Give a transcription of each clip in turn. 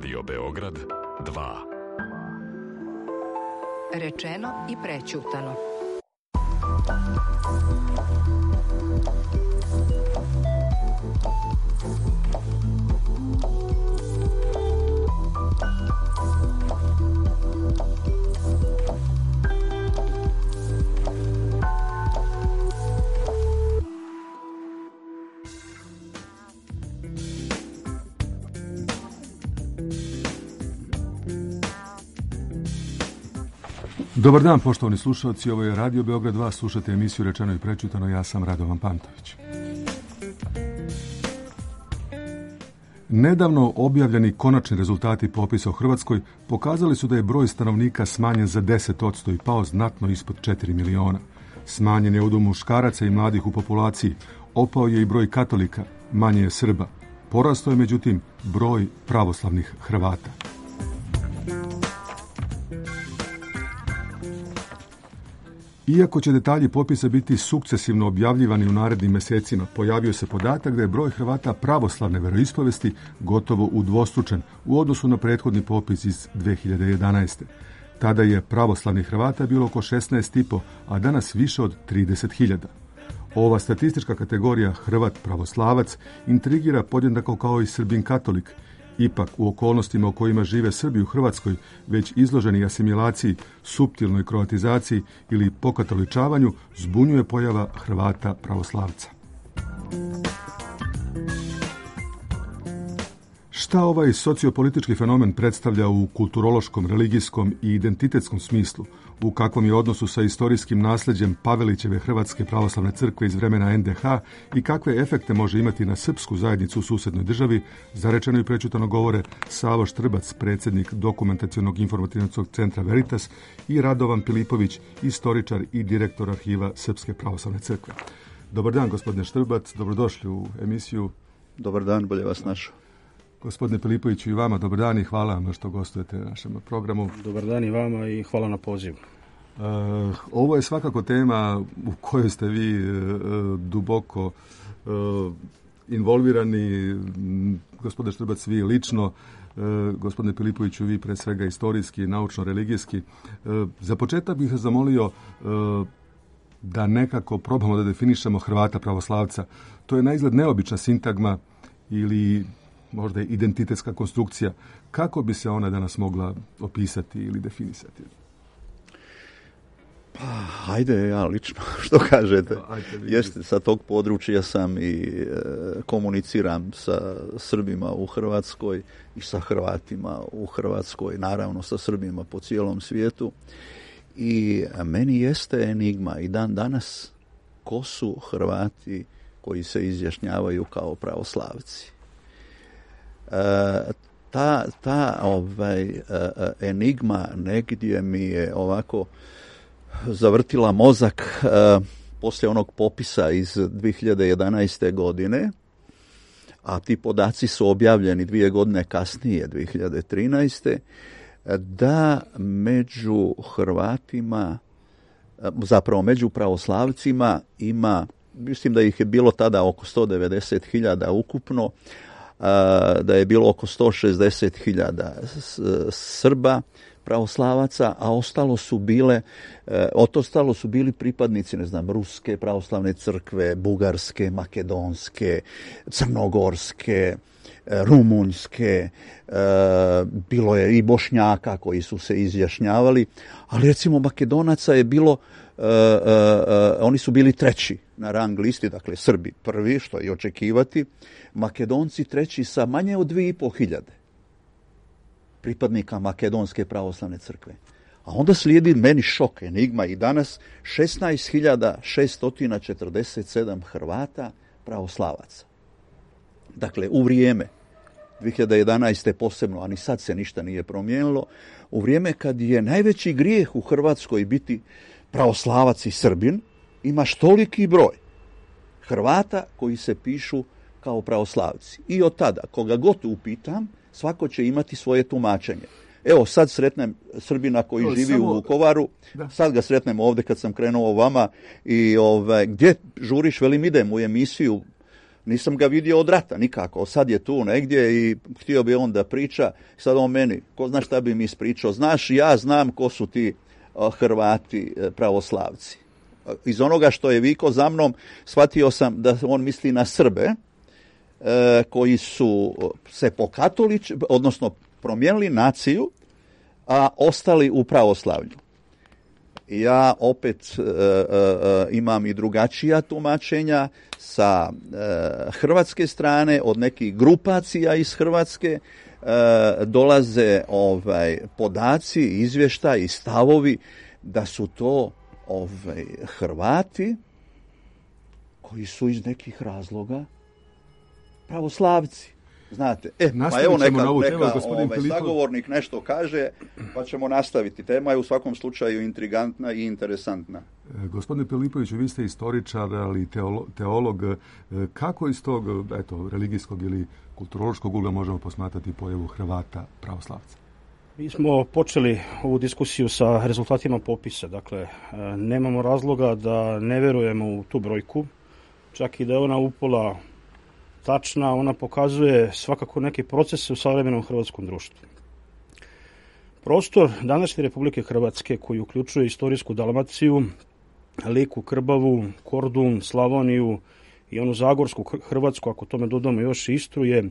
Radio Beograd 2. Rečeno i prećutano. Dobar dan, poštovani slušalci, ovo je Radio Beograd 2, slušate emisiju Rečeno i prećutano, ja sam Radovan Pantović. Nedavno objavljeni konačni rezultati popisa u Hrvatskoj pokazali su da je broj stanovnika smanjen za 10% i pao znatno ispod 4 miliona. Smanjen je udjel muškaraca i mladih u populaciji, opao je i broj katolika, manje je Srba. Porastao je međutim broj pravoslavnih Hrvata. Iako će detalji popisa biti sukcesivno objavljivani u narednim mjesecima, pojavio se podatak da je broj Hrvata pravoslavne veroispovesti gotovo udvostručen u odnosu na prethodni popis iz 2011. Tada je pravoslavnih Hrvata bilo oko 16,5, a danas više od 30.000. Ova statistička kategorija Hrvat pravoslavac intrigira podjednako kao i Srbin katolik. Ipak, u okolnostima u kojima žive Srbi u Hrvatskoj, već izloženi asimilaciji, suptilnoj kroatizaciji ili pokatoličavanju, zbunjuje pojava Hrvata pravoslavca. Šta ovaj sociopolitički fenomen predstavlja u kulturološkom, religijskom i identitetskom smislu, u kakvom je odnosu sa istorijskim nasljeđem Pavelićeve Hrvatske pravoslavne crkve iz vremena NDH i kakve efekte može imati na srpsku zajednicu u susjednoj državi, za Rečeno i prećutano govore Savo Štrbac, predsjednik Dokumentacionog informativnog centra Veritas, i Radovan Pilipović, istoričar i direktor arhiva Srpske pravoslavne crkve. Dobar dan, gospodine Štrbac, dobrodošli u emisiju. Dobar dan, bolje vas našao. Gospodine Pilipoviću, i vama dobar dan i hvala vam što gostujete na našem programu. Dobar dan i vama i hvala na pozivu. Ovo je svakako tema u kojoj ste vi duboko involvirani, gospodine Štrbac, vi lično, gospodine Pilipoviću, vi pre svega istorijski, naučno-religijski. Za početak bih vas zamolio da nekako probamo da definišemo Hrvata pravoslavca. To je naizgled neobična sintagma ili možda identitetska konstrukcija. Kako bi se ona danas mogla opisati ili definisati? Pa, hajde, ja lično, što kažete. Jeste, sa tog područja sam i komuniciram sa Srbima u Hrvatskoj i sa Hrvatima u Hrvatskoj, naravno sa Srbima po cijelom svijetu. I meni jeste enigma i dan danas ko su Hrvati koji se izjašnjavaju kao pravoslavci. Ta enigma negdje mi je ovako zavrtila mozak poslije onog popisa iz 2011. godine, a ti podaci su objavljeni 2 godine kasnije, 2013. da među Hrvatima, zapravo među pravoslavcima ima, mislim da ih je bilo tada oko 190.000 ukupno, da je bilo oko 160.000 Srba pravoslavaca, a ostalo su bili pripadnici, ne znam, Ruske pravoslavne crkve, Bugarske, Makedonske, Crnogorske, Rumunjske, bilo je i Bošnjaka koji su se izjašnjavali, ali recimo Makedonaca je bilo, oni su bili treći na rang listi, dakle Srbi prvi, što je očekivati, Makedonci treći sa manje od 2.500 pripadnika Makedonske pravoslavne crkve. A onda slijedi meni šok, enigma i danas 16.647 Hrvata pravoslavaca. Dakle, u vrijeme 2011. posebno, a ni sad se ništa nije promijenilo, u vrijeme kad je najveći grijeh u Hrvatskoj biti pravoslavac i Srbin, imaš toliki broj Hrvata koji se pišu kao pravoslavci. I od tada, koga god upitam, svako će imati svoje tumačenje. Evo, sad sretnem Srbina koji živi u Vukovaru, sad ga sretnem ovdje kad sam krenuo vama i gdje žuriš, velim idem u emisiju, Nisam ga vidio od rata nikako. Sad je tu negdje i htio bi on da priča. Sad on meni, ko zna šta bi mi ispričao. Znaš, ja znam ko su ti Hrvati pravoslavci. Iz onoga što je vikao za mnom, shvatio sam da on misli na Srbe, koji su se odnosno promijenili naciju, a ostali u pravoslavlju. Ja opet imam i drugačija tumačenja sa hrvatske strane, od nekih grupacija iz Hrvatske dolaze podaci, izvještaji, stavovi da su to Hrvati koji su iz nekih razloga pravoslavci. Znate, pa evo neka sagovornik nešto kaže, pa ćemo nastaviti. Tema je u svakom slučaju intrigantna i interesantna. Gospodine Pilipoviću, vi ste istoričar, ali teolog. Kako iz tog religijskog ili kulturološkog ugla možemo posmatrati pojavu Hrvata pravoslavca? Mi smo počeli ovu diskusiju sa rezultatima popisa. Dakle, nemamo razloga da ne verujemo u tu brojku, čak i da je ona upola tačna, ona pokazuje svakako neke procese u savremenom hrvatskom društvu. Prostor današnje Republike Hrvatske, koji uključuje istorijsku Dalmaciju, Liku, Krbavu, Kordun, Slavoniju i onu zagorsku Hrvatsku, ako tome dodamo još Istru, je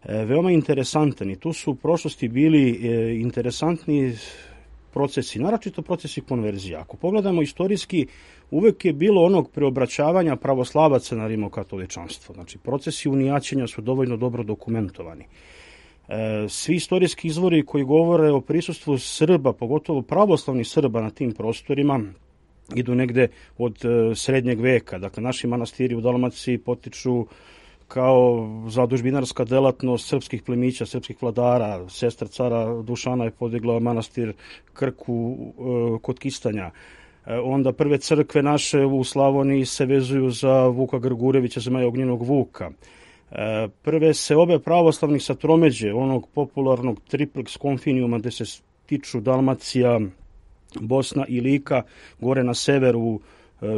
veoma interesantan. I tu su u prošlosti bili interesantni procesi, naročito procesi konverzija. Ako pogledamo istorijski, uvek je bilo onog preobraćavanja pravoslavaca na rimokatoličanstvo. Znači, procesi unijaćenja su dovoljno dobro dokumentovani. Svi istorijski izvori koji govore o prisustvu Srba, pogotovo pravoslavnih Srba na tim prostorima, idu negde od srednjeg veka. Dakle, naši manastiri u Dalmaciji potiču kao zadužbinarska delatnost srpskih plemića, srpskih vladara. Sestra cara Dušana je podigla manastir Krku kod Kistanja. Onda prve crkve naše u Slavoniji se vezuju za Vuka Grgurevića, Zmaja Ognjenog Vuka. Prve se obe pravoslavnih sa tromeđe, onog popularnog triplex konfinijuma gde se tiču Dalmacija, Bosna i Lika, gore na severu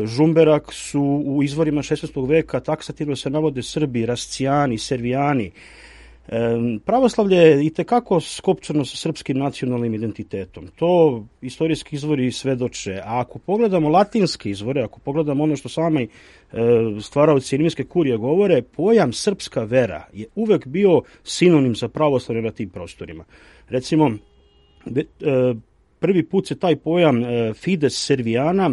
Žumberak, su u izvorima 16. veka taksativno se navode Srbi, Rascijani, Servijani. Pravoslavlje je itekako skopčano sa srpskim nacionalnim identitetom. To istorijski izvori svedoče. A ako pogledamo latinske izvore, ako pogledamo ono što sami stvaraoci rimske kurije govore, pojam srpska vera je uvek bio sinonim za pravoslavlje na tim prostorima. Recimo, prvi put se taj pojam fides servijana,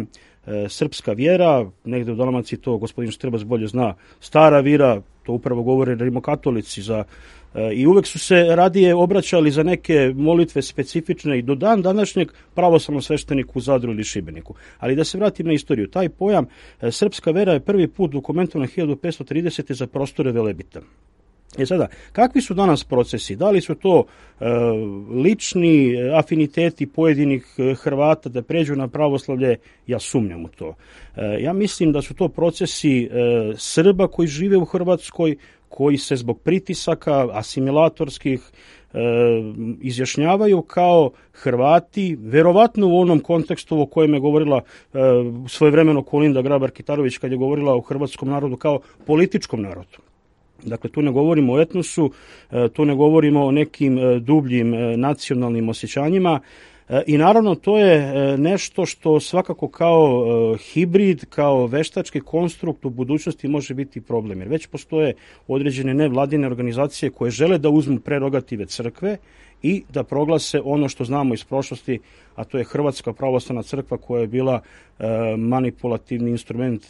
srpska vjera, negde u Dalmaciji to gospodin Štrbac bolje zna, stara vira, to upravo govore rimokatolici i uvek su se radije obraćali za neke molitve specifične i do dan današnjeg pravoslavnom svešteniku u Zadru ili Šibeniku. Ali da se vratim na istoriju, taj pojam srpska vera je prvi put dokumentovan 1530. za prostore Velebita. Sada, kakvi su danas procesi? Da li su to lični afiniteti pojedinih Hrvata da pređu na pravoslavlje? Ja sumnjam u to. Ja mislim da su to procesi Srba koji žive u Hrvatskoj, koji se zbog pritisaka asimilatorskih izjašnjavaju kao Hrvati, verovatno u onom kontekstu o kojem je govorila svojevremeno Kolinda Grabar-Kitarović kad je govorila o hrvatskom narodu kao političkom narodu. Dakle, tu ne govorimo o etnosu, tu ne govorimo o nekim dubljim nacionalnim osjećanjima i naravno to je nešto što svakako kao hibrid, kao veštački konstrukt u budućnosti može biti problem. Jer već postoje određene nevladine organizacije koje žele da uzmu prerogative crkve i da proglase ono što znamo iz prošlosti, a to je Hrvatska pravoslavna crkva koja je bila manipulativni instrument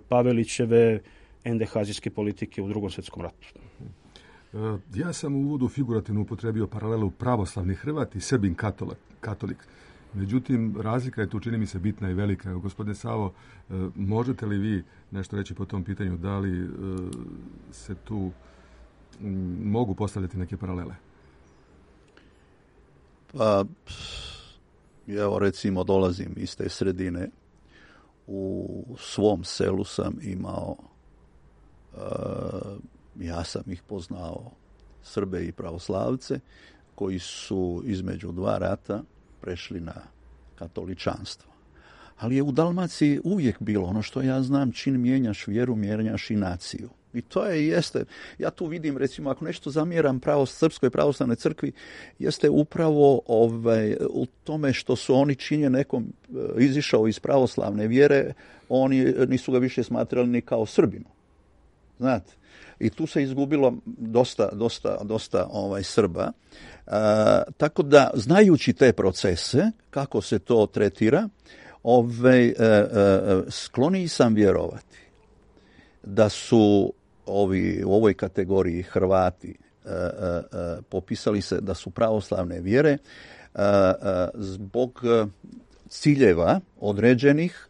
Pavelićeve endehazijske politike u Drugom svjetskom ratu. Ja sam u uvodu figurativno upotrebio paralelu pravoslavni Hrvat i Srbin katolik. Međutim, razlika je tu, čini mi se, bitna i velika. Gospodine Savo, možete li vi nešto reći po tom pitanju? Da li se tu mogu postavljati neke paralele? Pa, evo recimo dolazim iz te sredine. U svom selu sam imao ja sam ih poznao, Srbe i pravoslavce, koji su između dva rata prešli na katoličanstvo. Ali je u Dalmaciji uvijek bilo ono što ja znam, čim mijenjaš vjeru, mijenjaš i naciju. I to je i jeste. Ja tu vidim, recimo, ako nešto zamjeram Srpskoj pravoslavnoj crkvi, jeste upravo u tome što su oni činje nekom izišao iz pravoslavne vjere, oni nisu ga više smatrali ni kao Srbinu. Znate? I tu se izgubilo dosta Srba. Tako da, znajući te procese, kako se to tretira, skloniji sam vjerovati da su u ovoj kategoriji Hrvati popisali se da su pravoslavne vjere zbog ciljeva određenih,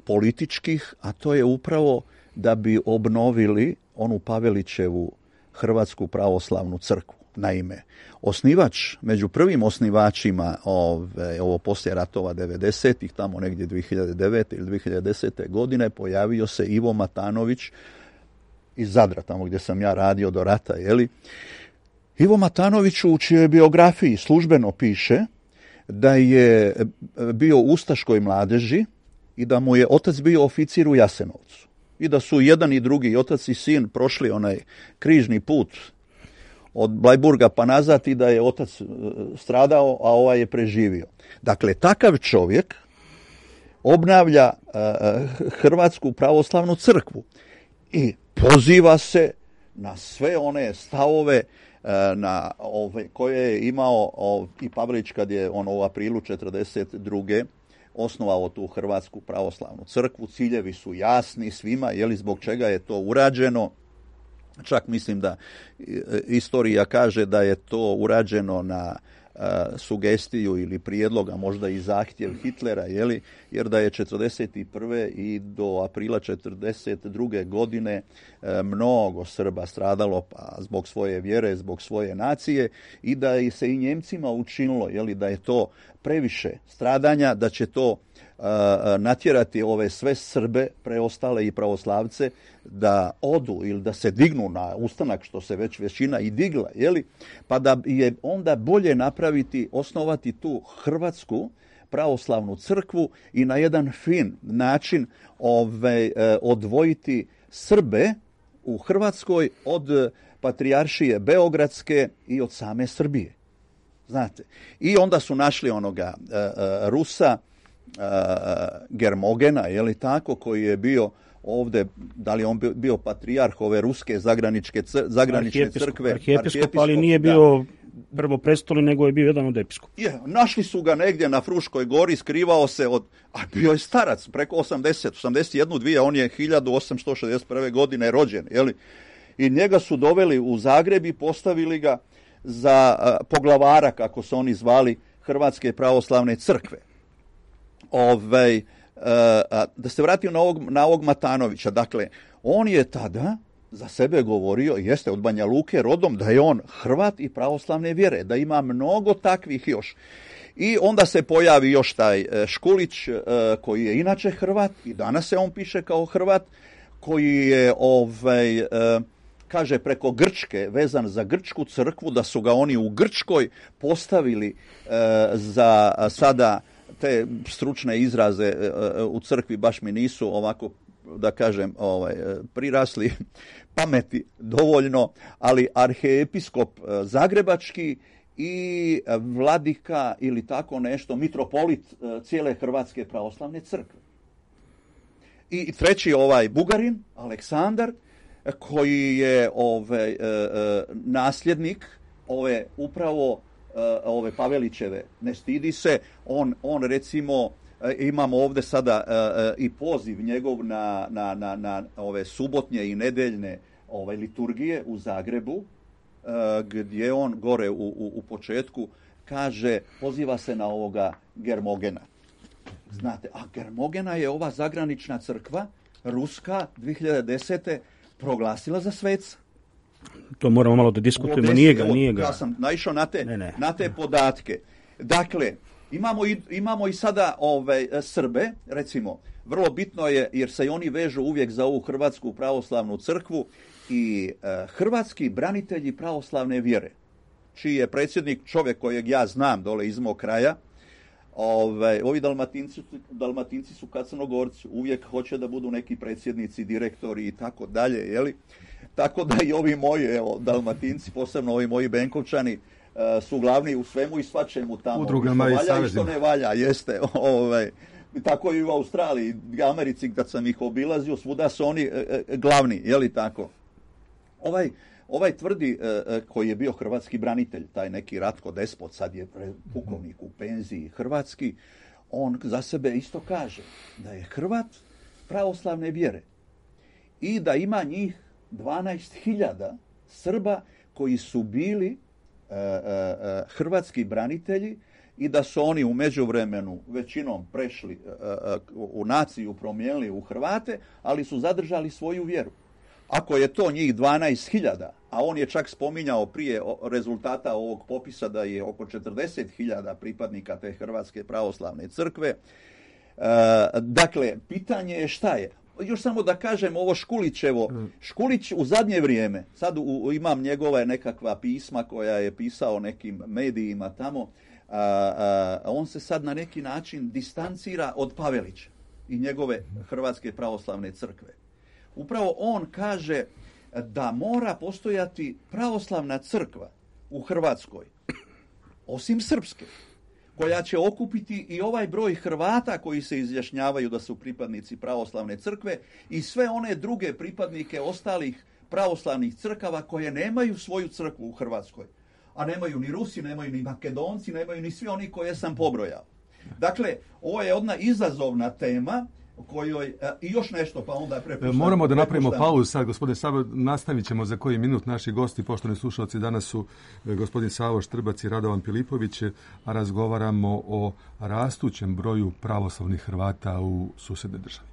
političkih, a to je upravo da bi obnovili onu Pavelićevu Hrvatsku pravoslavnu crkvu. Naime, među prvim osnivačima ovo poslije ratova 90-ih, tamo negdje 2009. ili 2010. godine, pojavio se Ivo Matanović iz Zadra, tamo gdje sam ja radio do rata, Ivo Matanović u čijoj biografiji službeno piše da je bio u ustaškoj mladeži i da mu je otac bio oficir u Jasenovcu. I da su jedan i drugi, otac i sin, prošli onaj križni put od Blajburga pa nazad i da je otac stradao, a ovaj je preživio. Dakle, takav čovjek obnavlja Hrvatsku pravoslavnu crkvu i poziva se na sve one stavove koje je imao i Pavelić kad je on u aprilu 1942. osnovao tu Hrvatsku pravoslavnu crkvu. Ciljevi su jasni svima, zbog čega je to urađeno. Čak mislim da istorija kaže da je to urađeno na sugestiju ili prijedloga, možda i zahtjev Hitlera, jer da je 1941. i do aprila 1942. godine mnogo Srba stradalo zbog svoje vjere, zbog svoje nacije i da se i Njemcima učinilo da je to previše stradanja, da će to natjerati ove sve Srbe, preostale i pravoslavce, da odu ili da se dignu na ustanak, što se već većina i digla, pa da je onda bolje osnovati tu Hrvatsku pravoslavnu crkvu i na jedan fin način odvojiti Srbe u Hrvatskoj od patrijaršije Beogradske i od same Srbije. Znate, i onda su našli onoga Rusa, Germogena, koji je bio ovdje, da li on bio patrijarh ove ruske zagranične crkve. Arhijepiskop, ali nije bio prvoprestolnik, nego je bio jedan od episkopa. Našli su ga negdje na Fruškoj gori, skrivao se a bio je starac, preko 81, on je 1861. godine rođen, i njega su doveli u Zagreb i postavili ga za poglavara, kako su oni zvali, Hrvatske pravoslavne crkve. Da se vratim na ovog Matanovića. Dakle, on je tada za sebe govorio, jeste od Banja Luke rodom, da je on Hrvat i pravoslavne vjere, da ima mnogo takvih još. I onda se pojavi još taj Škulić, koji je inače Hrvat, i danas se on piše kao Hrvat, koji je kaže preko Grčke, vezan za grčku crkvu, da su ga oni u Grčkoj postavili za sada te stručne izraze u crkvi baš mi nisu ovako, da kažem, prirasli pameti dovoljno, ali arhiepiskop zagrebački i vladika ili tako nešto, mitropolit cijele Hrvatske pravoslavne crkve. I treći Bugarin, Aleksandar, koji je nasljednik upravo ove Pavelićeve, ne stidi se, on recimo, imamo ovdje sada i poziv njegov na ove subotnje i nedeljne liturgije u Zagrebu, gdje on gore u početku kaže, poziva se na ovoga Germogena. Znate, a Germogena je ova zagranična crkva, ruska, 2010. proglasila za sveca. To moramo malo da diskutujemo, nije ga. Ja sam naišao na te podatke. Dakle, imamo i sada Srbe, recimo, vrlo bitno je, jer se i oni vežu uvijek za ovu Hrvatsku pravoslavnu crkvu, i hrvatski branitelji pravoslavne vjere, čiji je predsjednik čovjek kojeg ja znam dole iz mog kraja. Ovi Dalmatinci su kad Crnogorci, uvijek hoće da budu neki predsjednici, direktori i tako dalje, Tako da i ovi moji, evo, Dalmatinci, posebno ovi moji Benkovčani, su glavni u svemu i svačemu tamo. Udrugama i savezima. Što ne valja, jeste. Tako i u Australiji, Americi, kad sam ih obilazio, svuda su oni glavni, je li tako? Ovaj tvrdi, koji je bio hrvatski branitelj, taj neki Ratko Despot, sad je pukovnik u penziji hrvatski, on za sebe isto kaže da je Hrvat pravoslavne vjere i da ima njih 12.000 Srba koji su bili hrvatski branitelji i da su oni u međuvremenu većinom prešli u naciju, promijenili u Hrvate, ali su zadržali svoju vjeru. Ako je to njih 12.000, a on je čak spominjao prije rezultata ovog popisa da je oko 40.000 pripadnika te Hrvatske pravoslavne crkve, dakle, pitanje je šta je. Još samo da kažem ovo Škulićevo. Škulić u zadnje vrijeme, sad imam njegove nekakva pisma koja je pisao nekim medijima tamo, on se sad na neki način distancira od Pavelića i njegove Hrvatske pravoslavne crkve. Upravo on kaže da mora postojati pravoslavna crkva u Hrvatskoj, osim srpske, koja će okupiti i ovaj broj Hrvata koji se izjašnjavaju da su pripadnici pravoslavne crkve i sve one druge pripadnike ostalih pravoslavnih crkava koje nemaju svoju crkvu u Hrvatskoj. A nemaju ni Rusi, nemaju ni Makedonci, nemaju ni svi oni koje sam pobrojao. Dakle, ovo je jedna izazovna tema kojoj, i još nešto, pa onda prepuštam. Moramo da napravimo pauzu sad, gospodin Savo, nastavit ćemo za koji minut. Naši gosti, poštovani slušalci, danas su gospodin Savo Štrbac i Radovan Pilipović, a razgovaramo o rastućem broju pravoslavnih Hrvata u susednoj državi.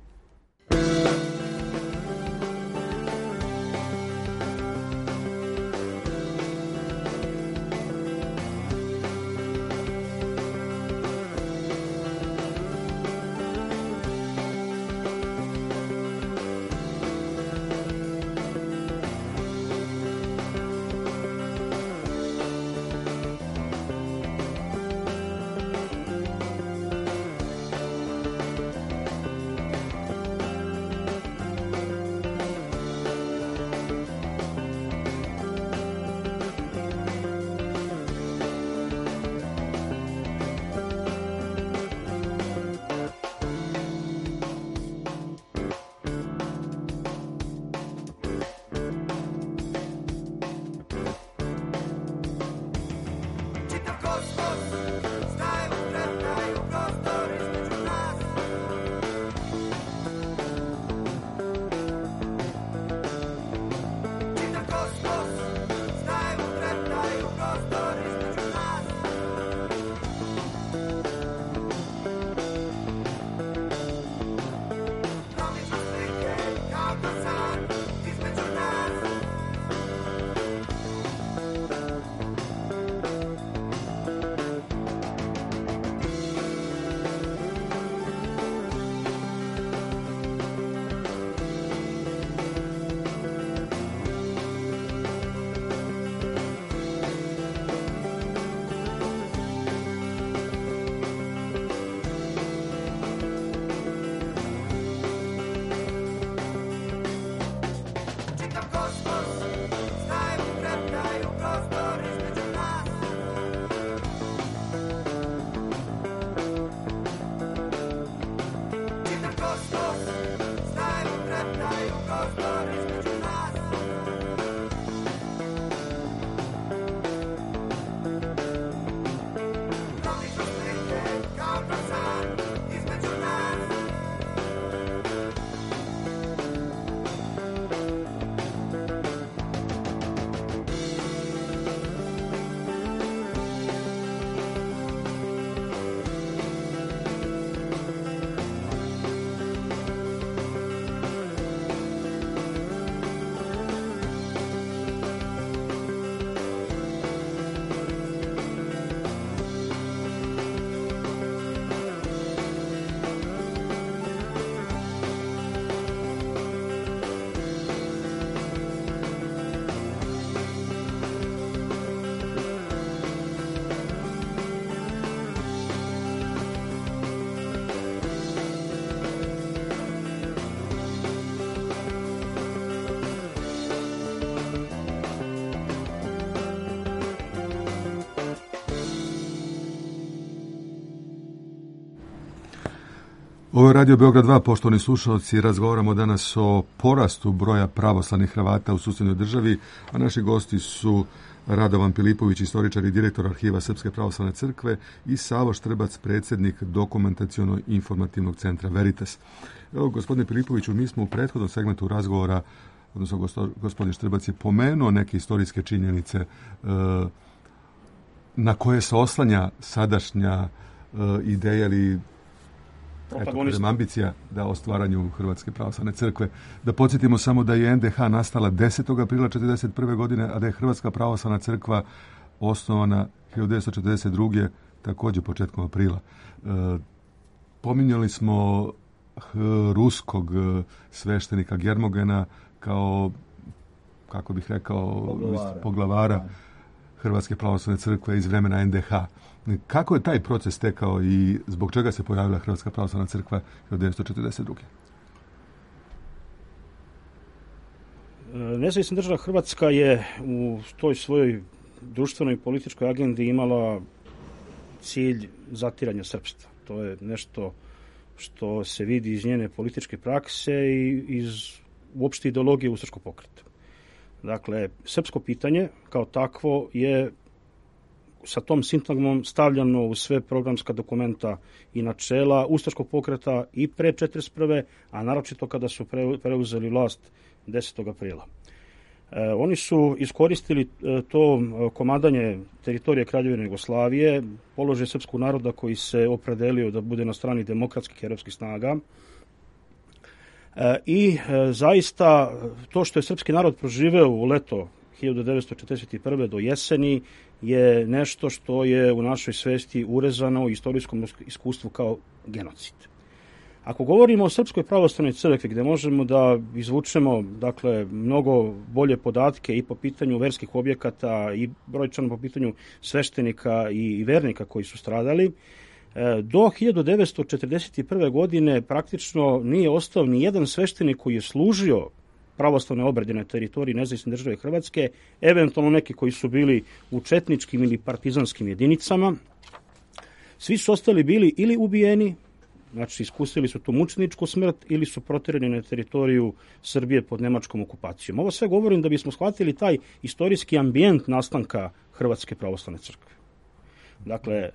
Ovo je Radio Beograd 2, poštovani slušalci, razgovaramo danas o porastu broja pravoslavnih Hrvata u susjednoj državi, a naši gosti su Radovan Pilipović, istoričar i direktor Arhiva Srpske pravoslavne crkve, i Savo Štrbac, predsjednik Dokumentaciono-informativnog centra Veritas. Evo, gospodine Pilipoviću, mi smo u prethodnom segmentu razgovora, odnosno gospodin Štrbac je pomenuo neke istorijske činjenice na koje se oslanja sadašnja ideja ili ambicija o stvaranju Hrvatske pravoslavne crkve. Da podsjetimo samo da je NDH nastala 10. aprila 1941. godine, a da je Hrvatska pravoslavna crkva osnovana 1942. također početkom aprila. Pominjali smo ruskog sveštenika Germogena kao, kako bih rekao, poglavara Hrvatske pravoslavne crkve iz vremena NDH. Kako je taj proces tekao i zbog čega se pojavila Hrvatska pravoslavna crkva 1942. Nezavisna država Hrvatska je u toj svojoj društvenoj i političkoj agendi imala cilj zatiranja srpstva. To je nešto što se vidi iz njene političke prakse i iz uopšte ideologije ustaškog pokreta. Dakle, srpsko pitanje kao takvo je sa tom sintagmom stavljano u sve programska dokumenta i načela ustaškog pokreta i pre 1941. a naročito kada su preuzeli vlast 10. aprila. Oni su iskoristili to komadanje teritorije Kraljevine Jugoslavije, položaj srpskog naroda koji se opredelio da bude na strani demokratskih europskih snaga. I zaista to što je srpski narod proživeo u leto 1941. do jeseni je nešto što je u našoj svesti urezano u istorijskom iskustvu kao genocid. Ako govorimo o Srpskoj pravoslavnoj crkvi, gde možemo da izvučemo mnogo bolje podatke i po pitanju verskih objekata i brojčano po pitanju sveštenika i vernika koji su stradali, do 1941. godine praktično nije ostao ni jedan sveštenik koji je služio pravoslavne obrede na teritoriji nezavisne države Hrvatske, eventualno neki koji su bili u četničkim ili partizanskim jedinicama. Svi su ostali bili ili ubijeni, znači iskusili su tu mučeničku smrt, ili su proterani na teritoriju Srbije pod nemačkom okupacijom. Ovo sve govorim da bismo shvatili taj istorijski ambijent nastanka Hrvatske pravoslavne crkve. Dakle,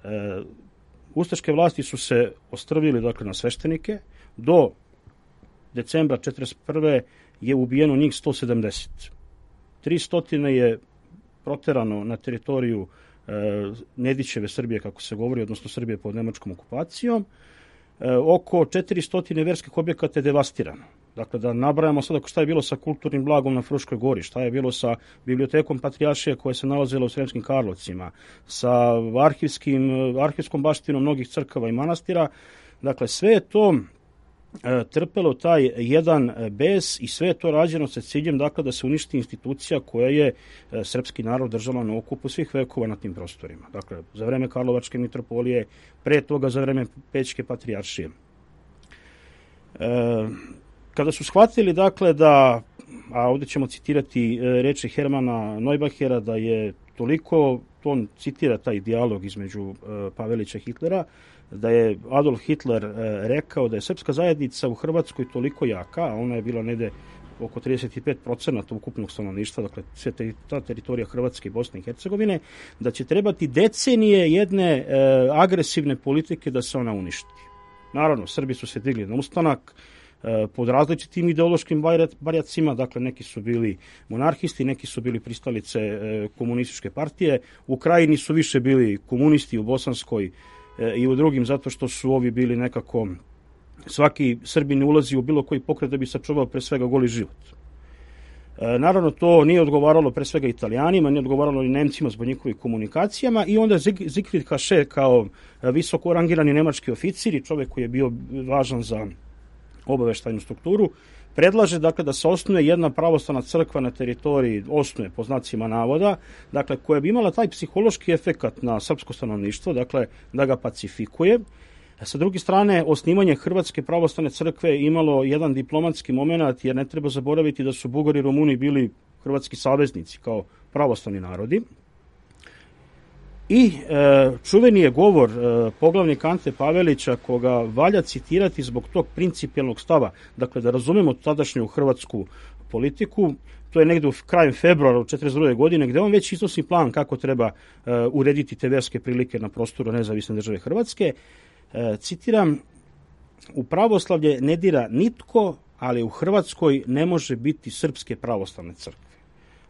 ustaške vlasti su se ostrvili na sveštenike. Do decembra 1941. je ubijeno njih 170. 300 je proterano na teritoriju Nedićeve Srbije, kako se govori, odnosno Srbije pod nemačkom okupacijom. Oko 400 verskih objekata je devastirano. Dakle, da nabrajamo sada šta je bilo sa kulturnim blagom na Fruškoj gori, šta je bilo sa bibliotekom Patrijaršije koja se nalazila u Sremskim Karlovcima, sa arhivskom baštinom mnogih crkava i manastira. Dakle, sve je to trpelo taj jedan bes i sve je to rađeno sa ciljem da se uništi institucija koja je srpski narod držala na okupu svih vekova na tim prostorima. Dakle, za vreme Karlovačke mitropolije, pre toga za vreme Pećke patrijaršije. Kada su shvatili da, a ovdje ćemo citirati reči Hermana Neubachera, da je toliko, on citira taj dijalog između Pavelića i Hitlera, da je Adolf Hitler rekao da je srpska zajednica u Hrvatskoj toliko jaka, a ona je bila negde oko 35% ukupnog stanovništva, dakle sve ta teritorija Hrvatske i Bosne i Hercegovine, da će trebati decenije jedne agresivne politike da se ona uništi. Naravno, Srbi su se digli na ustanak pod različitim ideološkim barjacima, dakle neki su bili monarhisti, neki su bili pristalice komunističke partije, u Krajini su više bili komunisti, u Bosanskoj i u drugim, zato što su ovi bili nekako, svaki Srbin ne ulazi u bilo koji pokret da bi sačuvao pre svega goli život. Naravno, to nije odgovaralo pre svega Italijanima, nije odgovaralo ni Nemcima zbog njihovih komunikacijama, i onda Siegfried Haše kao visoko rangirani nemački oficir i čovjek koji je bio važan za obaveštajnu strukturu, predlaže da se osnuje jedna pravoslavna crkva na teritoriji, osnuje po znacima navoda, koja bi imala taj psihološki efekat na srpsko stanovništvo, da ga pacifikuje. Sa druge strane, osnivanje Hrvatske pravoslavne crkve imalo jedan diplomatski moment, jer ne treba zaboraviti da su Bugari i Rumuni bili hrvatski saveznici kao pravoslavni narodi. I čuveni je govor poglavnika Ante Pavelića, koga valja citirati zbog tog principijelnog stava. Dakle, da razumemo tadašnju hrvatsku politiku, to je negdje u krajem februara 1942. godine, gdje on već iznosi plan kako treba urediti te verske prilike na prostoru nezavisne države Hrvatske. Citiram, u pravoslavlje ne dira nitko, ali u Hrvatskoj ne može biti srpske pravoslavne crkve.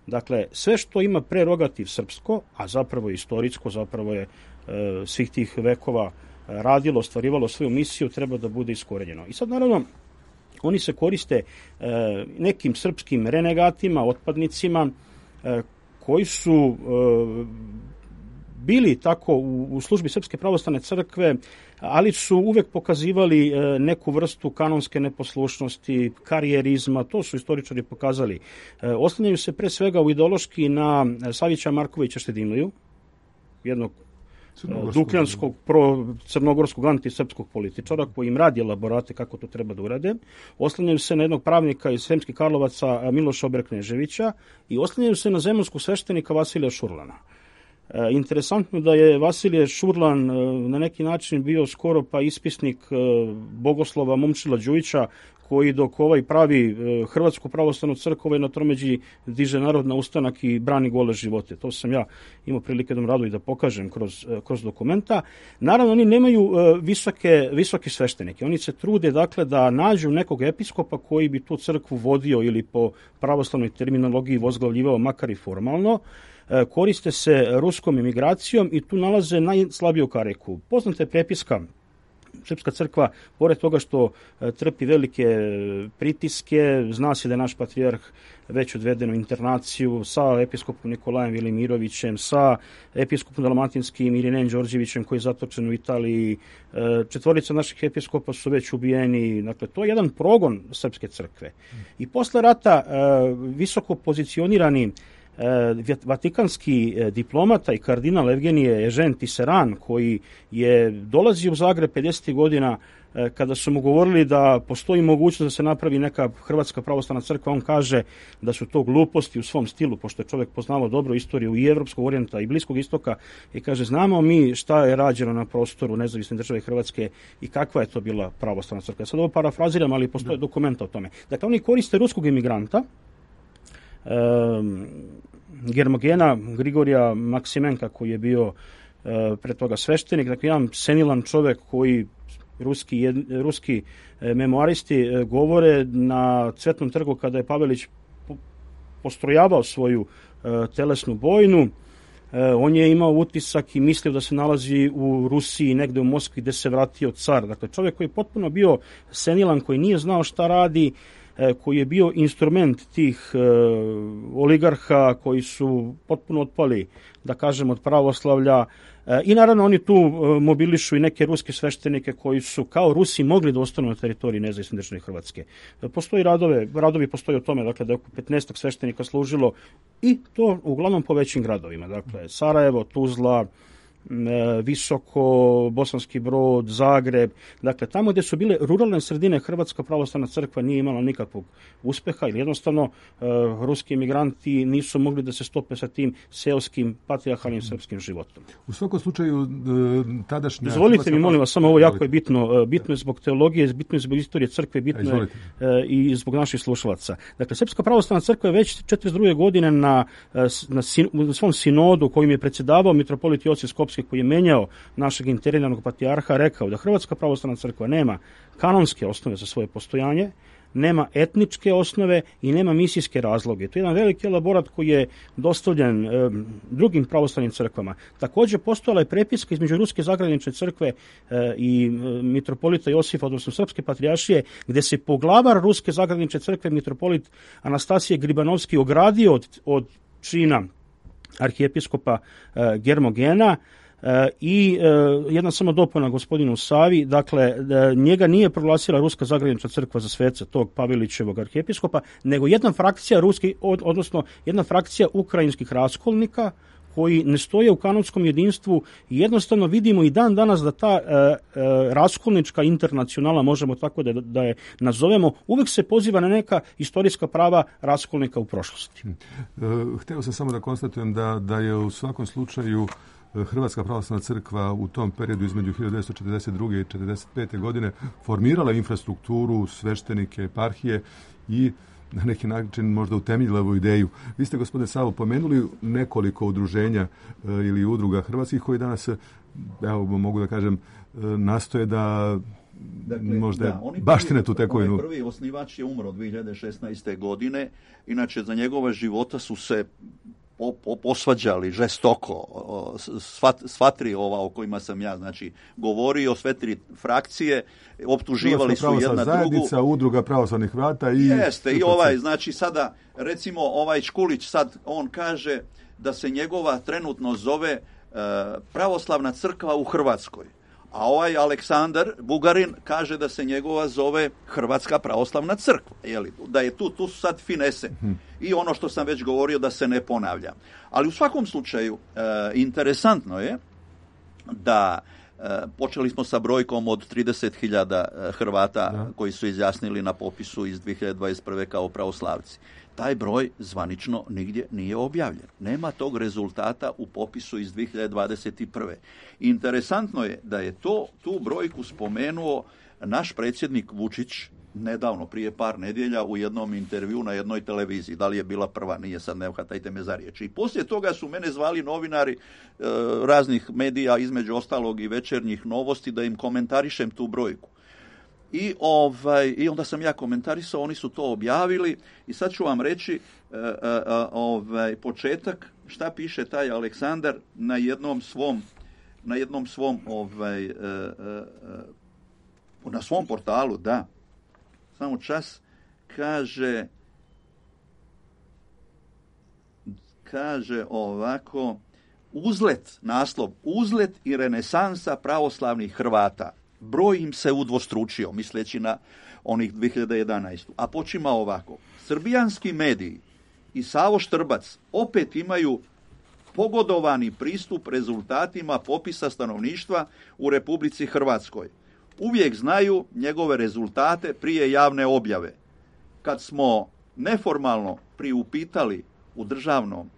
Dakle, sve što ima prerogativ srpsko, a zapravo je istorijsko, zapravo je svih tih vekova radilo, ostvarivalo svoju misiju, treba da bude iskorenjeno. I sad, naravno, oni se koriste nekim srpskim renegatima, otpadnicima, koji su bili tako u službi Srpske pravoslavne crkve, ali su uvek pokazivali neku vrstu kanonske neposlušnosti, karijerizma, to su istoričari pokazali. Oslanjaju se pre svega u ideološki na Savića Markovića Štedinliju, jednog dukljanskog, crnogorskog antisrpskog političara koji im radi elaborate kako to treba da urade. Oslanjaju se na jednog pravnika iz Sremskih Karlovaca Miloša Obrkneževića i oslanjaju se na zemunskog sveštenika Vasilija Šurlana. Interesantno da je Vasilije Šurlan na neki način bio skoro pa ispisnik bogoslova Momčila Đujića, koji dok ovaj pravi Hrvatsku pravoslavnu crkvu na tromeđi diže narod na ustanak i brani gole živote. To sam ja imao prilike da rado i da pokažem kroz dokumenta. Naravno, oni nemaju visoke sveštenike. Oni se trude, dakle, da nađu nekog episkopa koji bi tu crkvu vodio ili po pravoslavnoj terminologiji vozglavljivao, makar i formalno. Koriste se ruskom emigracijom i tu nalaze najslabiju kariku. Poznata je prepiska. Srpska crkva, pored toga što trpi velike pritiske, zna se da je naš patrijarh već odveden u internaciju sa episkopom Nikolajem Velimirovićem, sa episkopom dalmatinskim Irinejem Đorđevićem koji je zatočen u Italiji. 4 naših episkopa su već ubijeni. Dakle, to je jedan progon Srpske crkve. I posle rata visoko pozicionirani vatikanski diplomata i kardinal Evgenije Ežen Tiseran, koji je dolazio u Zagreb 50. godina, kada su mu govorili da postoji mogućnost da se napravi neka Hrvatska pravoslavna crkva, on kaže da su to gluposti u svom stilu, pošto je čovjek poznavao dobro istoriju i Evropskog orijenta i Bliskog istoka, i kaže, znamo mi šta je rađeno na prostoru nezavisne države Hrvatske i kakva je to bila pravoslavna crkva. Sad ovo parafraziram, ali postoje dokumenta o tome. Dakle, oni koriste ruskog emigranta, Germogena Grigorija Maksimenka, koji je bio pre toga sveštenik, dakle jedan senilan čovjek koji ruski memoaristi govore na Cvetnom trgu kada je Pavelić postrojavao svoju telesnu bojnu. On je imao utisak i mislio da se nalazi u Rusiji, negde u Moskvi, gde se vratio car. Dakle, čovjek koji je potpuno bio senilan, koji nije znao šta radi, koji je bio instrument tih oligarha koji su potpuno otpali, da kažem, od pravoslavlja. I naravno oni tu mobilišu i neke ruske sveštenike koji su kao Rusi mogli da ostanu na teritoriji nezavisne države Hrvatske. Postoji radovi postoji o tome, dakle, da je oko 15 sveštenika služilo i to uglavnom po većim gradovima. Dakle, Sarajevo, Tuzla, Visoko, Bosanski Brod, Zagreb, dakle tamo gdje su bile ruralne sredine Hrvatska pravoslavna crkva nije imala nikakvog uspeha ili jednostavno ruski emigranti nisu mogli da se stope sa tim seoskim patrijarhalnim srpskim životom. U svakom slučaju tadašnja... Dozvolite mi, molim vas, samo ovo jako je bitno. Bitno je zbog teologije, bitno je zbog istorije crkve, bitno je i zbog naših slušalaca. Dakle, Srpska pravoslavna crkva je već 1942. godine na svom sinodu kojim je predsjedavao mitropolit Josif Skopski, koji je menjao našeg interinarnog patrijarha, rekao da Hrvatska pravoslavna crkva nema kanonske osnove za svoje postojanje, nema etničke osnove i nema misijske razloge. To je jedan veliki elaborat koji je dostavljen drugim pravoslavnim crkvama. Također postojala je prepiska između Ruske zagranične crkve i mitropolita Josifa, odnosno Srpske patrijaršije, gde se poglavar Ruske zagranične crkve, mitropolit Anastasije Gribanovski, ogradio od čina arhijepiskopa Germogena. I jedna samo dopuna gospodinu Savi, dakle, njega nije proglasila Ruska zagranična crkva za sveca tog Pavelićevog arhijepiskopa, nego jedna frakcija jedna frakcija ukrajinskih raskolnika koji ne stoje u kanonskom jedinstvu i jednostavno vidimo i dan danas da ta raskolnička internacionala, možemo tako da je nazovemo, uvek se poziva na neka istorijska prava raskolnika u prošlosti. Hteo sam samo da konstatujem da je u svakom slučaju Hrvatska pravoslavna crkva u tom periodu između 1942. i 1945. godine formirala infrastrukturu, sveštenike, eparhije i na neki način možda utemeljila ovu ideju. Vi ste, gospodine Savo, pomenuli nekoliko udruženja ili udruga hrvatskih koji danas, evo mogu da kažem, nastoje da možda baštine tu tekovinu. Prvi osnivač je umro 2016. godine, inače za njegova života su se posvađali žestoko sva tri ova o kojima sam ja govorio, sve tri frakcije, optuživali su jedna zajednica, drugu. Udruga pravoslavnih Hrvata i... Jeste, i sada recimo Škulić sad on kaže da se njegova trenutno zove Pravoslavna crkva u Hrvatskoj. A Aleksandar Bugarin kaže da se njegova zove Hrvatska pravoslavna crkva. Da je tu su sad finese. I ono što sam već govorio da se ne ponavlja. Ali u svakom slučaju interesantno je da počeli smo sa brojkom od 30.000 Hrvata koji su izjasnili na popisu iz 2021. kao pravoslavci. Taj broj zvanično nigdje nije objavljen. Nema tog rezultata u popisu iz 2021. Interesantno je da je tu brojku spomenuo naš predsjednik Vučić nedavno, prije par nedjelja, u jednom intervju na jednoj televiziji. Da li je bila prva, nije, sad ne hvatajte me za riječ. I poslije toga su mene zvali novinari raznih medija, između ostalog i Večernjih novosti, da im komentarišem tu brojku. I onda sam ja komentarisao, oni su to objavili i sad ću vam reći početak šta piše taj Aleksandar na jednom svom na svom portalu, da. Samo čas, kaže ovako, naslov, uzlet i renesansa pravoslavnih Hrvata. Broj im se udvostručio, misleći na onih 2011. A počima ovako. Srbijanski mediji i Savo Štrbac opet imaju pogodovani pristup rezultatima popisa stanovništva u Republici Hrvatskoj. Uvijek znaju njegove rezultate prije javne objave. Kad smo neformalno priupitali u Državnom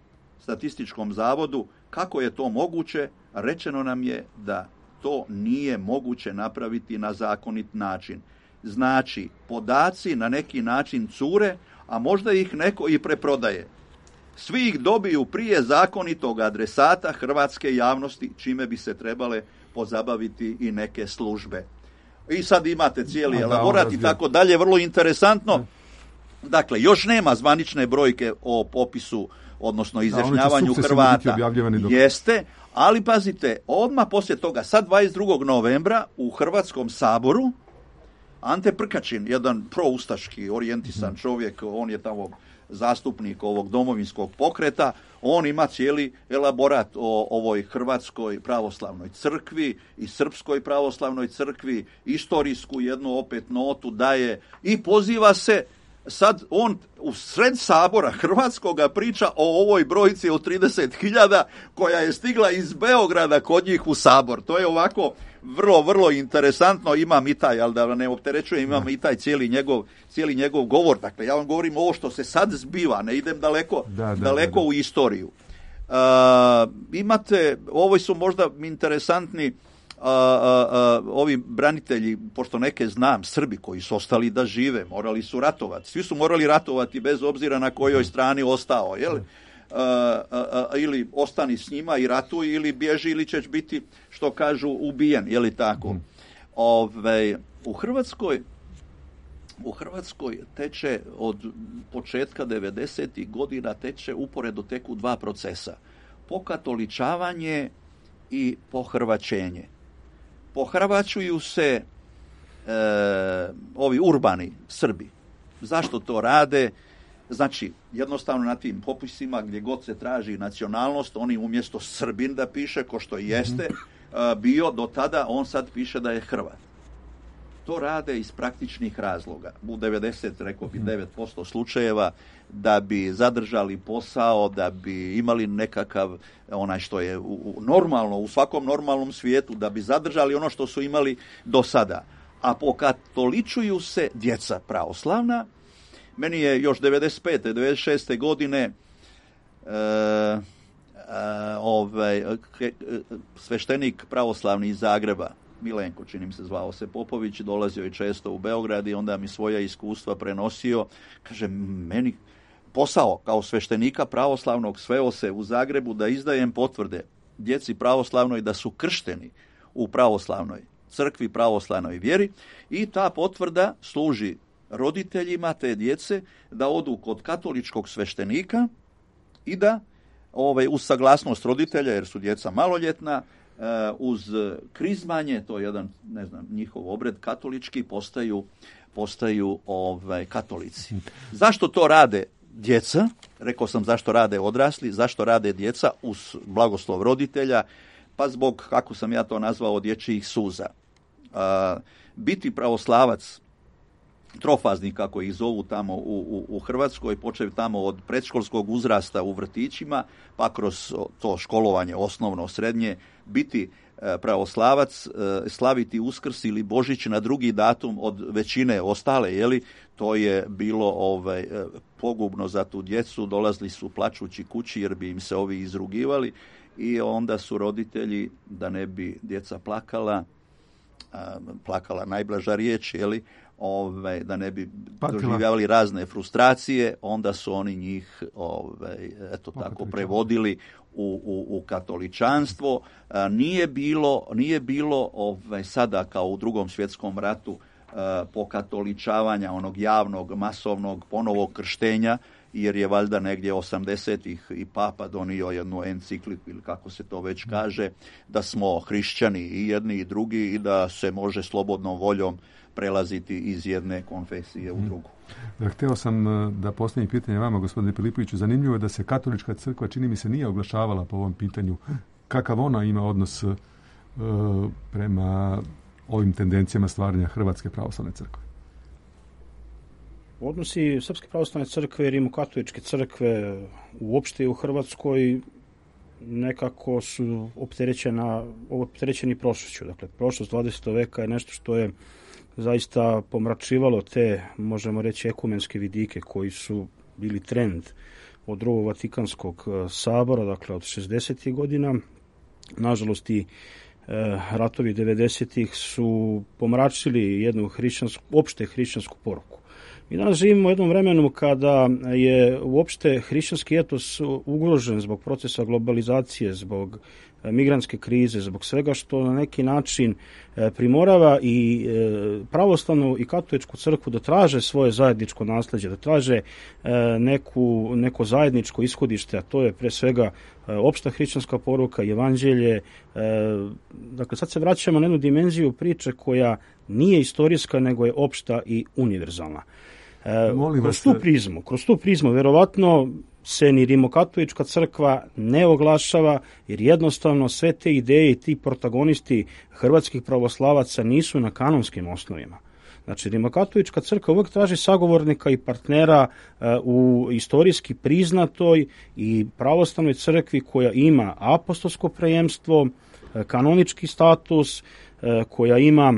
statističkom zavodu kako je to moguće, rečeno nam je da to nije moguće napraviti na zakonit način. Znači, podaci na neki način cure, a možda ih neko i preprodaje. Svi ih dobiju prije zakonitog adresata hrvatske javnosti, čime bi se trebale pozabaviti i neke službe. I sad imate cijeli elaborat i tako dalje, vrlo interesantno. Dakle, još nema zvanične brojke o popisu, odnosno izjašnjavanju Hrvata. Jeste, ali pazite, odmah poslije toga, sad 22. novembra u Hrvatskom saboru, Ante Prkačin, jedan proustaški orijentisan čovjek, on je tamo zastupnik ovog domovinskog pokreta, on ima cijeli elaborat o ovoj Hrvatskoj pravoslavnoj crkvi i Srpskoj pravoslavnoj crkvi, istorijsku jednu opet notu daje i poziva se. Sad on u sred sabora Hrvatskoga priča o ovoj brojci od 30.000 koja je stigla iz Beograda kod njih u sabor. To je ovako vrlo, vrlo interesantno. Imam i taj, ali da ne opterećujem, imam i taj cijeli njegov govor. Dakle, ja vam govorim ovo što se sad zbiva, ne idem daleko u istoriju. Imate, ovo su možda interesantni ovi branitelji, pošto neke znam, Srbi koji su ostali da žive, morali su ratovati. Svi su morali ratovati bez obzira na kojoj strani ostao, jel? Ili ostani s njima i ratuj, ili bježi, ili ćeš biti, što kažu, ubijen, je li tako? U Hrvatskoj teče od početka 90. godina uporedo teku dva procesa. Pokatoličavanje i pohrvaćenje. Pohrvaćuju se ovi urbani Srbi. Zašto to rade? Znači, jednostavno na tim popisima gdje god se traži nacionalnost, oni umjesto Srbin da piše, ko što jeste bio do tada, on sad piše da je Hrvat. To rade iz praktičnih razloga. U 9% slučajeva da bi zadržali posao, da bi imali nekakav, onaj što je normalno, u svakom normalnom svijetu, da bi zadržali ono što su imali do sada. A pokatoličuju se djeca pravoslavna. Meni je još 95. 96. godine sveštenik pravoslavni iz Zagreba, Milenko, čini mi se zvao se Popović, dolazio je često u Beograd i onda mi svoja iskustva prenosio. Kaže, meni posao kao sveštenika pravoslavnog sveo se u Zagrebu da izdajem potvrde djeci pravoslavnoj da su kršteni u pravoslavnoj crkvi, pravoslavnoj vjeri i ta potvrda služi roditeljima te djece da odu kod katoličkog sveštenika i da uz saglasnost roditelja, jer su djeca maloljetna, uz krizmanje, to je jedan, njihov obred katolički, postaju katolici. Zašto to rade djeca? Rekao sam zašto rade odrasli, zašto rade djeca uz blagoslov roditelja, pa zbog, kako sam ja to nazvao, dječjih suza. Biti pravoslavac, trofazni kako ih zovu tamo u Hrvatskoj, počev tamo od predškolskog uzrasta u vrtićima, pa kroz to školovanje osnovno, srednje, biti pravoslavac, slaviti Uskrs ili Božić na drugi datum od većine ostale, to je bilo pogubno za tu djecu, dolazili su plačući kući jer bi im se ovi izrugivali i onda su roditelji, da ne bi djeca plakala najblaža riječ, da ne bi doživljavali razne frustracije, onda su oni njih prevodili u katoličanstvo. Nije bilo sada kao u Drugom svjetskom ratu pokatoličavanja onog javnog, masovnog ponovog krštenja, jer je valjda negdje 80-ih i Papa donio jednu encikliku ili kako se to već kaže, da smo hrišćani i jedni i drugi i da se može slobodnom voljom prelaziti iz jedne konfesije u drugu. Htio sam da postavim pitanje vama, gospodine Filipoviću. Zanimljivo je da se katolička crkva, čini mi se, nije oglašavala po ovom pitanju. Kakav ona ima odnos prema ovim tendencijama stvaranja Hrvatske pravoslavne crkve? Odnosi Srpske pravoslavne crkve i Rimokatoličke crkve uopšte u Hrvatskoj nekako su opterećeni prošlošću. Dakle, prošlost 20. veka je nešto što je zaista pomračivalo te, možemo reći, ekumenske vidike koji su bili trend od Drugog Vatikanskog sabora, dakle od 60. godina. Nažalost i ratovi 90-ih su pomračili jednu opšte hrišćansku poruku. Mi danas živimo u jednom vremenu kada je uopšte hrišćanski etos ugrožen zbog procesa globalizacije, zbog migrantske krize, zbog svega što na neki način primorava i pravoslavnu i katoličku crkvu da traže svoje zajedničko nasljeđe, da traže neko zajedničko ishodište, a to je pre svega opšta hrišćanska poruka, evanđelje. Dakle, sad se vraćamo na jednu dimenziju priče koja nije istorijska, nego je opšta i univerzalna. Kroz tu prizmu, verovatno se ni Rimokatolička crkva ne oglašava, jer jednostavno sve te ideje i ti protagonisti hrvatskih pravoslavaca nisu na kanonskim osnovima. Znači, Rimokatolička crkva uvijek traži sagovornika i partnera u istorijski priznatoj i pravoslavnoj crkvi koja ima apostolsko prejemstvo, kanonički status, koja ima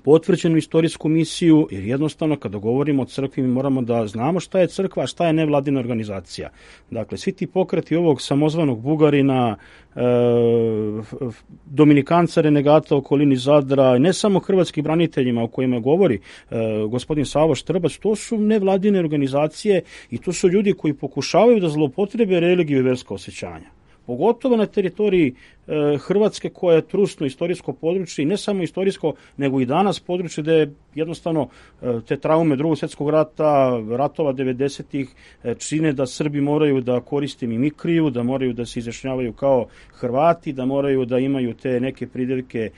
potvrđenu istorijsku misiju, jer jednostavno kada govorimo o crkvi mi moramo da znamo šta je crkva, a šta je nevladina organizacija. Dakle, svi ti pokreti ovog samozvanog Bugarina, Dominikanca renegata u okolini Zadra, ne samo hrvatskih braniteljima o kojima govori gospodin Savo Štrbac, to su nevladine organizacije i to su ljudi koji pokušavaju da zloupotrebe religiju i verska osjećanja. Pogotovo na teritoriji Hrvatske koja je trusno istorijsko područje i ne samo istorijsko, nego i danas područje gde jednostavno te traume Drugog svjetskog rata, ratova 90-ih čine da Srbi moraju da koriste mimikriju, da moraju da se izjašnjavaju kao Hrvati, da moraju da imaju te neke pridevke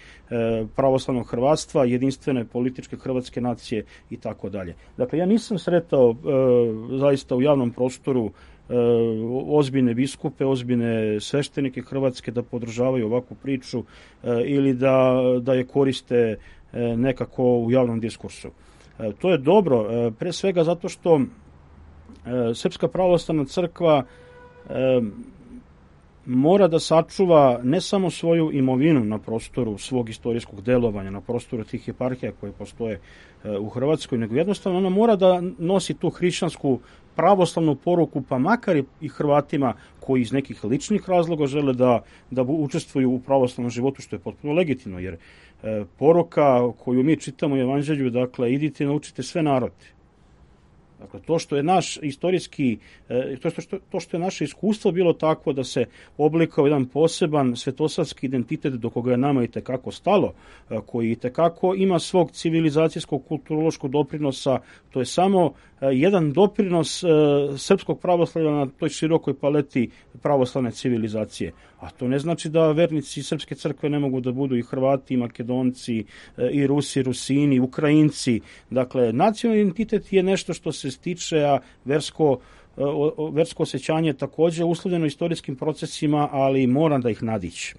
pravoslavnog hrvatstva, jedinstvene političke hrvatske nacije i tako dalje. Dakle, ja nisam sretao zaista u javnom prostoru ozbiljne biskupe, ozbiljne sveštenike Hrvatske da podržavaju ovakvu priču ili da je koriste nekako u javnom diskursu. To je dobro, pre svega zato što Srpska pravoslavna crkva mora da sačuva ne samo svoju imovinu na prostoru svog istorijskog delovanja, na prostoru tih eparhija koje postoje u Hrvatskoj, nego jednostavno ona mora da nosi tu hrišćansku pravoslavnu poruku, pa makar i Hrvatima koji iz nekih ličnih razloga žele da učestvuju u pravoslavnom životu, što je potpuno legitimno, jer poruka koju mi čitamo u Evanđelju, dakle, idite i naučite sve narode. Dakle, to što je naš istorijski, to što je naše iskustvo bilo takvo da se oblikao jedan poseban svetosavski identitet do koga je nama itekako stalo, koji itekako ima svog civilizacijskog kulturološkog doprinosa, to je samo jedan doprinos srpskog pravoslavlja na toj širokoj paleti pravoslavne civilizacije. A to ne znači da vernici Srpske crkve ne mogu da budu i Hrvati, i Makedonci, i Rusi, Rusini, Ukrajinci. Dakle, nacionalni identitet je nešto što se stiče, a versko osjećanje takođe uslovljeno istorijskim procesima, ali mora da ih nadići.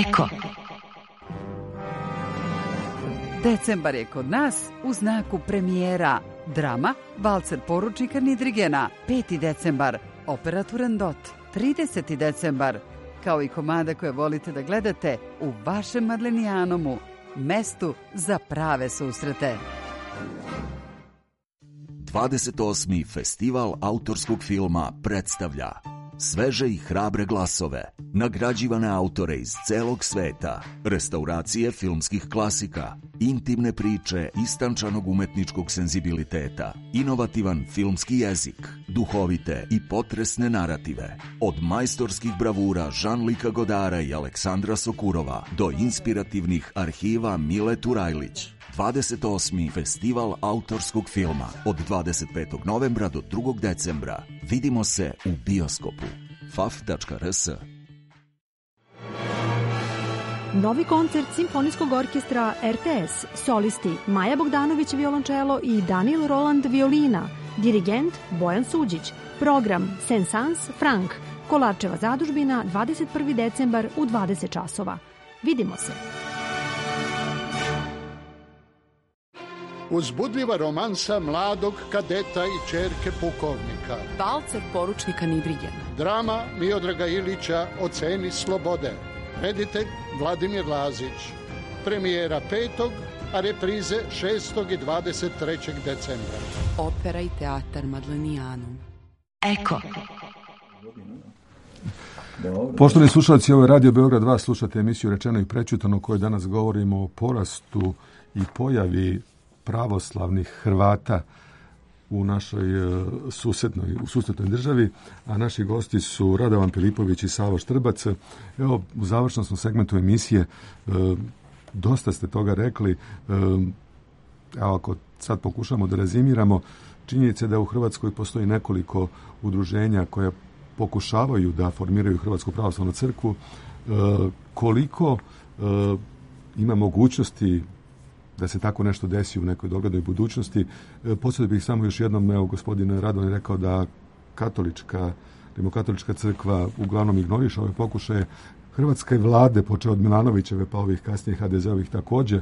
Eko. Decembar je kod nas u znaku premijera. Drama Valcer poručnika Nidrigena. 5. decembar opera Turandot. 30. decembar kao i komada koje volite da gledate u vašem Madlenijanomu, mestu za prave susrete. 28. festival autorskog filma predstavlja sveže i hrabre glasove, nagrađivane autore iz celog sveta, restauracije filmskih klasika, intimne priče istančanog umetničkog senzibiliteta, inovativan filmski jezik, duhovite i potresne narative, od majstorskih bravura Jean-Luca Godara i Aleksandra Sokurova do inspirativnih arhiva Mile Turajlić. 28. festival autorskog filma od 25. novembra do 2. decembra. Vidimo se u bioskopu. faf.rs. Novi koncert Simfonijskog orkestra RTS, solisti Maja Bogdanović violončelo i Daniel Roland violina, dirigent Bojan Suđić, program Saint-Saëns Frank, Kolarčeva zadužbina, 21. decembar u 20 časova. Vidimo se. Uzbudljiva romansa mladog kadeta i ćerke pukovnika. Valcer poručnika Nidrigena. Drama Miodraga Ilića O ceni slobode. Reditelj Vladimir Lazić. Premijera 5. a reprize 6. i 23. decembra. Opera i teatar Madlenijanum. Eko. Poštovani slušalci, ovo je Radio Beograd 2, slušate emisiju Rečeno i prećutano, u kojoj danas govorimo o porastu i pojavi pravoslavnih Hrvata u našoj susednoj državi, a naši gosti su Radovan Filipović i Savo Štrbac. Evo, u završnom segmentu emisije dosta ste toga rekli. Evo, ako sad pokušamo da rezimiramo, činjenica je da u Hrvatskoj postoji nekoliko udruženja koja pokušavaju da formiraju Hrvatsku pravoslavnu crkvu. Koliko ima mogućnosti da se tako nešto desi u nekoj doglednoj budućnosti? Podsjetio bih samo još jednom, evo, gospodin Radon je rekao da rimokatolička crkva uglavnom ignoriše ove pokušaje. Hrvatske vlade, počeo od Milanovićeve pa ovih kasnije HDZ-ovih također,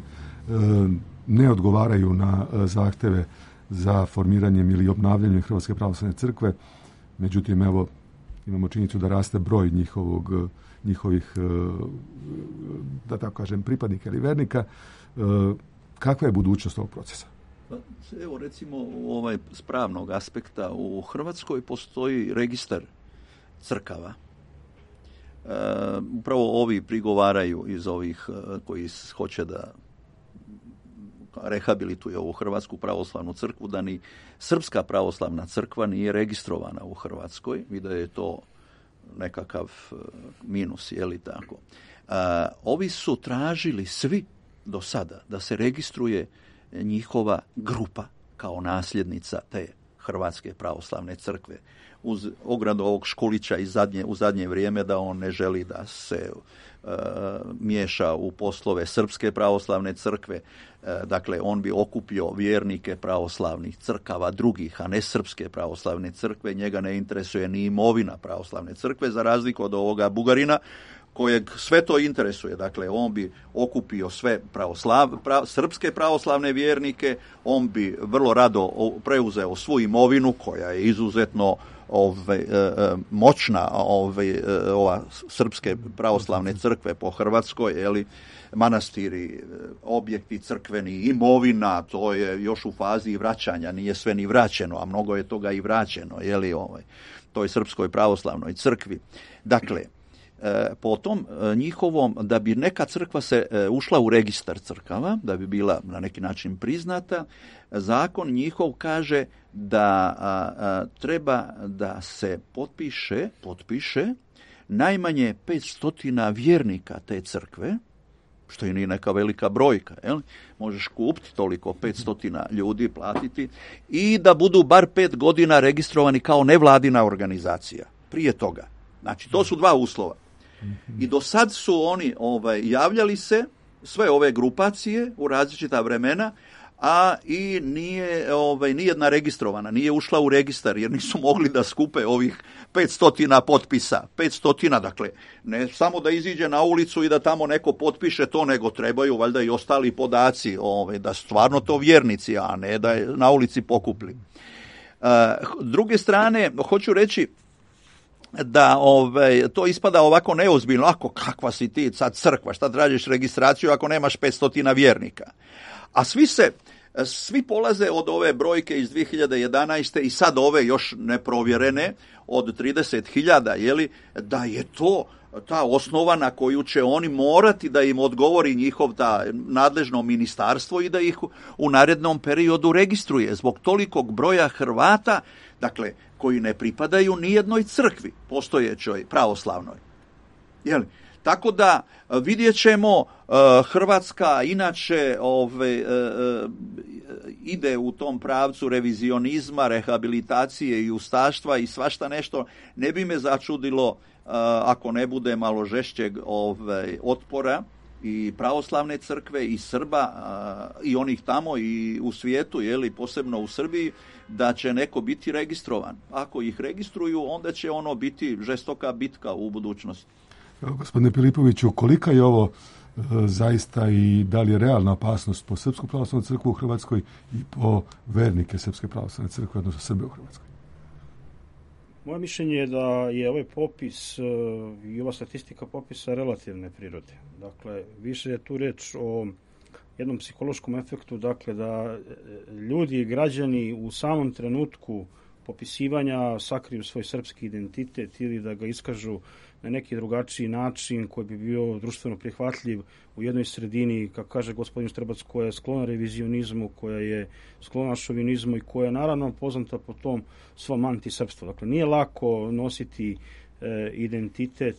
ne odgovaraju na zahteve za formiranjem ili obnavljanjem Hrvatske pravoslavne crkve. Međutim, evo, imamo činjenicu da raste broj njihovih, da tako kažem, pripadnika ili vernika. Kakva je budućnost ovog procesa? Evo, recimo, s pravnog aspekta u Hrvatskoj postoji registar crkava. Upravo ovi prigovaraju iz ovih koji hoće da rehabilituje ovu Hrvatsku pravoslavnu crkvu, da ni Srpska pravoslavna crkva nije registrovana u Hrvatskoj i da je to nekakav minus, je li tako? Ovi su tražili svi do sada da se registruje njihova grupa kao nasljednica te Hrvatske pravoslavne crkve. Uz ogradu ovog Škulića u zadnje vrijeme da on ne želi da se miješa u poslove Srpske pravoslavne crkve. Dakle, on bi okupio vjernike pravoslavnih crkava drugih, a ne Srpske pravoslavne crkve. Njega ne interesuje ni imovina pravoslavne crkve, za razliku od ovoga Bugarina, kojeg sve to interesuje. Dakle, on bi okupio sve srpske pravoslavne vjernike, on bi vrlo rado preuzeo svu imovinu koja je izuzetno moćna ova Srpske pravoslavne crkve po Hrvatskoj, jeli, manastiri, objekti crkveni, imovina, to je još u fazi vraćanja, nije sve ni vraćeno, a mnogo je toga i vraćeno, jeli, toj Srpskoj pravoslavnoj crkvi. Dakle, po tom njihovom, da bi neka crkva se ušla u registar crkava, da bi bila na neki način priznata, zakon njihov kaže da treba da se potpiše najmanje 500 vjernika te crkve, što i nije neka velika brojka, jel? Možeš kupiti toliko, 500 ljudi platiti, i da budu bar 5 godina registrovani kao nevladina organizacija. Prije toga. Znači, to su dva uslova. I do sad su oni javljali se, sve ove grupacije u različita vremena, a i nije nijedna registrovana, nije ušla u registar jer nisu mogli da skupe ovih 500 potpisa. 500, dakle, ne samo da iziđe na ulicu i da tamo neko potpiše to, nego trebaju valjda i ostali podaci, da stvarno to vjernici, a ne da je na ulici pokupli. Druge strane, hoću reći da to ispada ovako neozbiljno. Ako, kakva si ti sad crkva, šta tražiš registraciju ako nemaš 500 vjernika? A svi polaze od ove brojke iz 2011. i sad ove još neprovjerene od 30.000, jeli, da je to ta osnova na koju će oni morati da im odgovori njihov nadležno ministarstvo i da ih u narednom periodu registruje zbog tolikog broja Hrvata, dakle, koji ne pripadaju nijednoj crkvi postojećoj pravoslavnoj. Jeli? Tako da vidjet ćemo, Hrvatska inače ide u tom pravcu revizionizma, rehabilitacije i ustaštva i svašta nešto. Ne bi me začudilo ako ne bude malo žešćeg otpora i pravoslavne crkve i Srba i onih tamo i u svijetu, jeli, posebno u Srbiji, da će neko biti registrovan. Ako ih registruju, onda će ono biti žestoka bitka u budućnosti. Gospodine Pilipoviću, kolika je ovo zaista i da li je realna opasnost po Srpsku pravoslavnu crkvu u Hrvatskoj i po vernike Srpske pravoslavne crkve, odnosno Srbe u Hrvatskoj? Moje mišljenje je da je ovaj popis i ova statistika popisa relativne prirode. Dakle, više je tu reč o jednom psihološkom efektu, dakle da ljudi i građani u samom trenutku popisivanja sakriju svoj srpski identitet ili da ga iskažu na neki drugačiji način koji bi bio društveno prihvatljiv u jednoj sredini, kako kaže gospodin Štrebac, koja je sklona revizionizmu, koja je sklona šovinizmu i koja je naravno poznata po tom svom antisrpstvu. Dakle, nije lako nositi identitet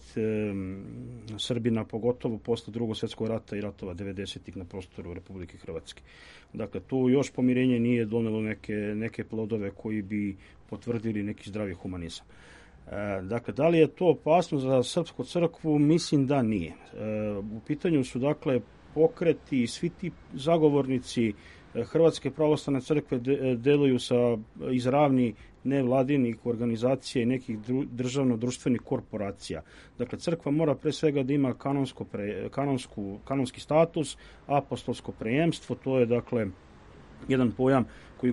Srbina, pogotovo posle Drugog svjetskog rata i ratova 90-ih na prostoru Republike Hrvatske. Dakle, tu još pomirenje nije donelo neke plodove koji bi potvrdili neki zdravi humanizam. Dakle, da li je to opasno za srpsku crkvu? Mislim da nije. U pitanju su, dakle, pokreti i svi ti zagovornici Hrvatske pravoslavne crkve deluju iz ravni nevladinih organizacija i nekih državno-društvenih korporacija. Dakle, crkva mora pre svega da ima kanonski status, apostolsko preemstvo, to je, dakle, jedan pojam koji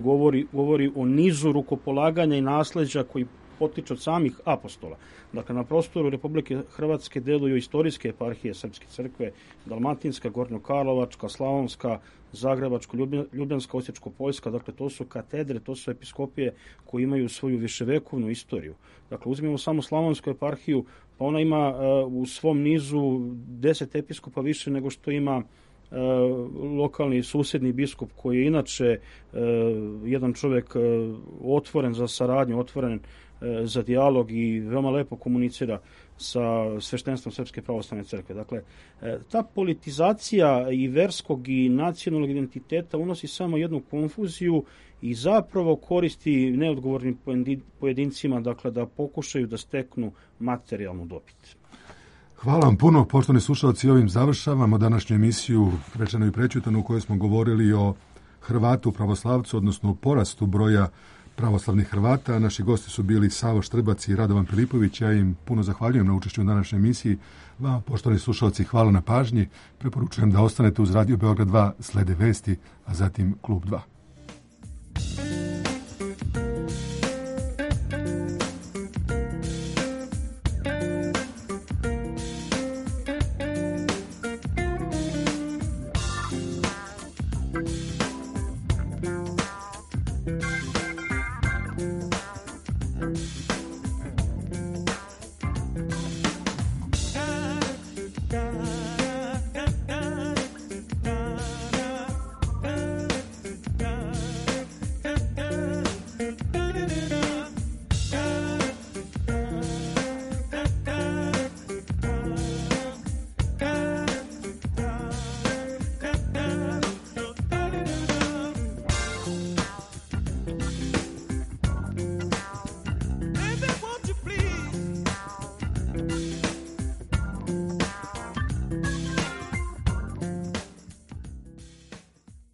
govori o nizu rukopolaganja i nasleđa koji potiče od samih apostola. Dakle, na prostoru Republike Hrvatske deluju istorijske eparhije Srpske crkve, Dalmatinska, Gornjokarlovačka, Slavonska, Zagrebačko, Ljubljanska, Osječko-Poljska. Dakle, to su katedre, to su episkopije koji imaju svoju viševekovnu istoriju. Dakle, uzmimo samo Slavonsku eparhiju, pa ona ima u svom nizu 10 episkopa više nego što ima lokalni susjedni biskup, koji je inače jedan čovjek otvoren za saradnju, otvoren za dijalog i veoma lepo komunicira sa sveštenstvom Srpske pravoslavne crkve. Dakle, ta politizacija i verskog i nacionalnog identiteta unosi samo jednu konfuziju i zapravo koristi neodgovornim pojedincima, dakle, da pokušaju da steknu materijalnu dobit. Hvala vam puno, poštovani slušalci, ovim završavamo današnju emisiju Rečeno i prećutano, u kojoj smo govorili o Hrvatu pravoslavcu, odnosno o porastu broja pravoslavnih Hrvata. Naši gosti su bili Savo Štrbac i Radovan Filipović. Ja im puno zahvaljujem na učešću u današnjoj emisiji. Vama, poštovani slušalci, hvala na pažnji. Preporučujem da ostanete uz Radio Beograd 2, slede vesti, a zatim Klub 2.